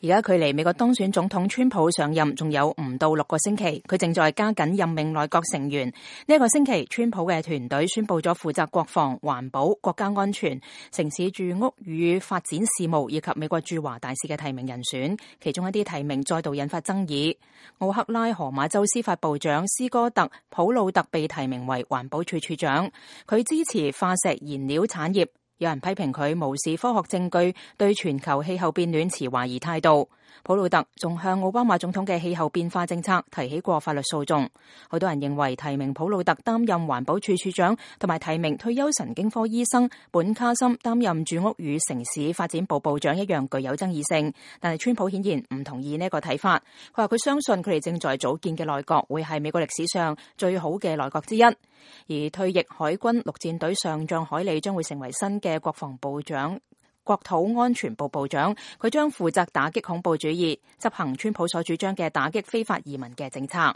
而家距離美國當選總統川普上任仲有唔到6個星期，佢正在加緊任命內閣成員。呢一個星期，川普嘅團隊宣布咗負責國防、環保、國家安全、城市住屋與發展事務以及美國駐華大使嘅提名人選，其中一啲提名再度引發爭議。奧克拉荷馬州司法部長斯哥特·普魯特被提名為環保署署長，佢支持化石燃料產業。有人批評佢無視科學證據，對全球氣候變暖持懷疑態度。普魯特仲向奧巴馬總統嘅氣候變化政策提起過法律訴訟。好多人認為提名普魯特擔任環保署署長，同埋提名退休神經科醫生本卡森擔任住屋與城市發展部部長一樣具有爭議性。但係川普顯然唔同意呢個睇法。佢話佢相信佢哋正在組建嘅內閣會係美國歷史上最好嘅內閣之一。而退役海軍陸戰隊上將海利將會成為新嘅國防部長、國土安全部部長，佢將負責打擊恐怖主義，執行川普所主張嘅打擊非法移民嘅政策。